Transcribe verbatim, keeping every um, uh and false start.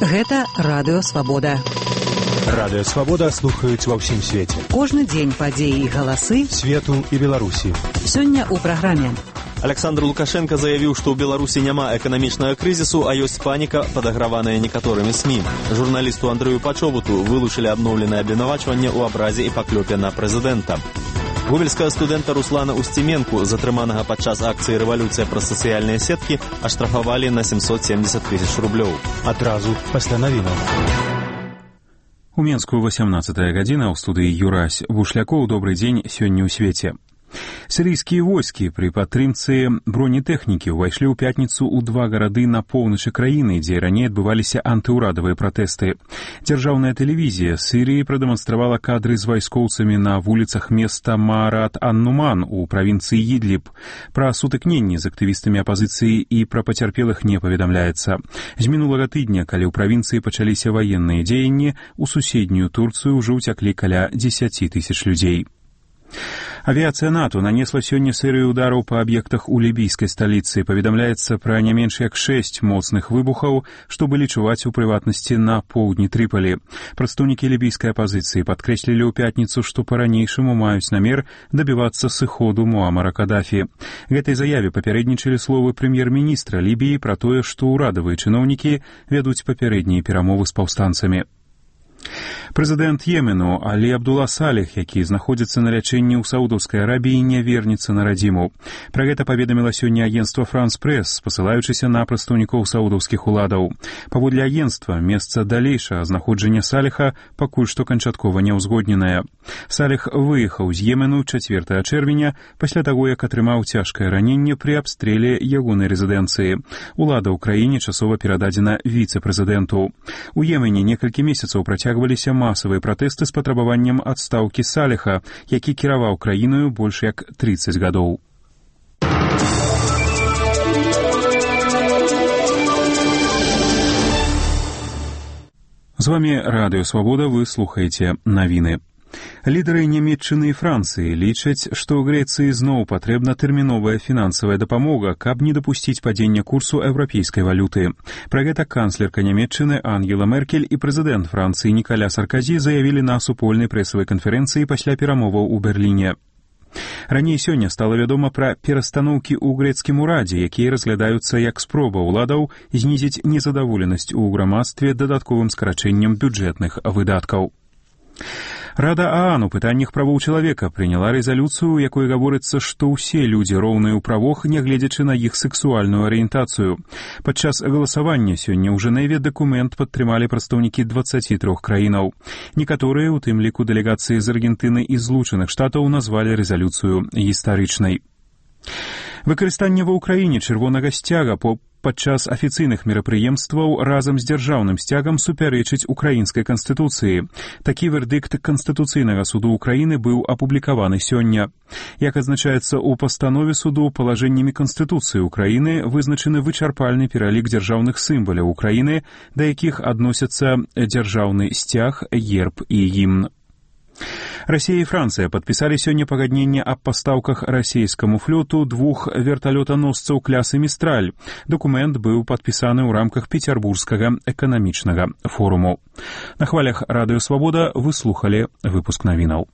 Гэта радыё Свабода. Радыё Свабода слухаюць ва ўсім свеце. Кожны дзень падзеі і галасы свету і Беларусі. Сёння ў праграме. Александр Лукашенко заявіў, што ў Беларусі няма эканамічнага крызісу, а ёсць паніка, падаграваная некаторымі СМІ. Журналісту Андрэю Пачобуту вылучылі абноўленае абвінавачванне ў абразе і паклёпе на прэзідэнта. Гомельскага студэнта Руслана Устименку, затрыманага падчас акцыі «Рэвалюцыя» праз сацыяльныя сеткі, аштрафавалі на семьсот семьдесят тысяч рублёў. Адразу пасля навінаў. У Менску восемнадцатая гадзіна, ў студыі Юрась Бушлякоў. Добры дзень сёння ў свеце. Сірыйскія войскі пры падтрымцы бронетэхнікі ўвайшлі ў пятніцу ў два гарады на поўначы краіны, дзе раней адбываліся антыўрадавыя пратэсты. Дзяржаўная тэлевізія Сірыі прадэманстравала кадры з вайскоўцамі на вуліцах места Маарат-ан-Нуман у правінцыі Ідліб. Пра сутыкненні з актывістамі апазіцыі і пра пацярпелых не паведамляецца. З мінулага тыдня, калі ў правінцыі пачаліся ваенныя дзеянні, у суседнюю Турцыю ўжо ўцяклі каля дзесяці тысяч людзей. Авіяцыя НАТО нанесла сёння серыю удараў па аб'ектах у лібійскай сталіцы. Паведамляецца пра не менш як шэсць моцных выбухаў, што былі чуваць у прыватнасці на поўдні Трыпалі. Прадстаўнікі лібійскай апазіцыі падкрэслілі ў пятніцу, што па-ранейшаму маюць намер дабівацца сыходу Муамара Кадафі. Гэтай заяве папярэднічалі словы прэм'ер-міністра Лібіі пра тое, што ўрадавыя чыноўнікі вядуць папярэднія перамовы з паўстанцамі. Прэзідэнт Йемену Алі Абдула Саліх, які знаходзіцца на лячэнні ў Саудаўскай Арабіі, не вернецца на радзіму. Пра гэта паведаміла сёння агенцтва «Франс Прэс», спасылаючыся на прадстаўнікоў саудаўскіх уладаў. Паводле агенцтва, месца далейшага знаходжання Саліха пакуль што канчаткова няўзгодненае. Саліх выехаў з Йемену чацвёртага чэрвеня пасля таго, як атрымаў цяжкае раненне пры абстрэле ягонай рэзідэнцыі. Улада ў краіне часова перададзена віцэ-прэзідэнту. У Йемене некалькі месяцаў працягваліся масавыя пратэсты з патрабаваннем адстаўкі Саліха, які кіраваў краіною больш як трыццаць гадоў. З вамі Радыё Свабода, вы слухаеце навіны. Лідары Нямецчыны і Францыі лічаць, што ў Грэцыі зноў патрэбна тэрміновая фінансавая дапамога, каб не дапусціць падзення курсу еўрапейскай валюты. Пра гэта канцлерка Нямецчыны Ангела Меркель і прэзідэнт Францыі Нікаля Сарказі заявілі на супольнай прэсавай канферэнцыі пасля перамоваў у Берліне. Раней сёння стала вядома пра перастаноўкі ў грэцкім урадзе, якія разглядаюцца як спроба ўладаў знізіць незадаволенасць у грамадстве дадатковым скарачэннем бюджэтных выдаткаў. Рада ААН у пытаннях правоў чалавека прыняла рэзалюцыю, у якой гаворыцца, што ўсе людзі роўныя ў правах, нягледзячы на іх сексуальную арыентацыю. Падчас галасавання сёння ў Жэневе дакумент падтрымалі прадстаўнікі дваццаці трох краінаў. Некаторыя, у тым ліку дэлегацыі з Аргентыны і Злучаных Штатаў, назвалі рэзалюцыю гістарычнай. Выкарыстанне ва ўкраіне чырвонага сцяга по падчас афіцыйных мерапрыемстваў разам з дзяржаўным сцягам супярэчыць украінскай канстытуцыі. Такі вердыкт Канстытуцыйнага суду Украіны быў апублікаваны сёння. Як адзначаецца ў пастанове суду, палажэннямі Канстытуцыі Украіны вызначаны вычарпальны пералік дзяржаўных сімваляў Украіны, да якіх адносяцца дзяржаўны сцяг, герб і гімн. Расія і Францыя падпісалі сёння пагадненне аб пастаўках расійскаму флоту двух верталётаносцаў клясы «Містраль». Дакумент быў падпісаны ў рамках Пецярбургскага эканамічнага форуму. На хвалях Радыё Свабода вы слухалі выпуск навінаў.